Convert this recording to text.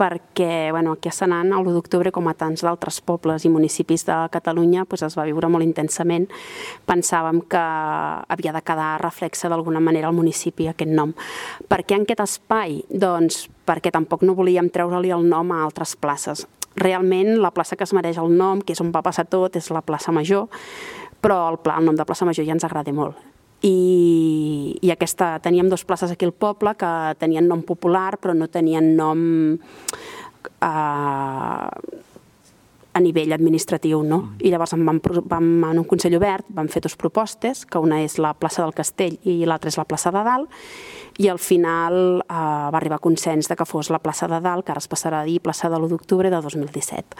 perquè aquí a Senan, el 1 d'octubre, com a tants d'altres pobles i municipis de Catalunya, es va viure molt intensament. Pensàvem que havia de quedar reflexa d'alguna manera al municipi aquest nom. Per què en aquest espai? Doncs perquè tampoc no volíem treure-li el nom a altres places. Realment, la plaça que es mereix el nom, que és on va passar tot, és la plaça Major, però el nom de plaça Major ja ens agrada molt. I teníem 2 places aquí al poble que tenien nom popular però no tenien nom a nivell administratiu, no? I llavors en un Consell Obert vam fer 2 propostes, que una és la plaça del Castell i l'altra és la plaça de Dalt, i al final va arribar a consens que fos la plaça de Dalt, que ara es passarà a dir plaça de l'1 d'octubre de 2017.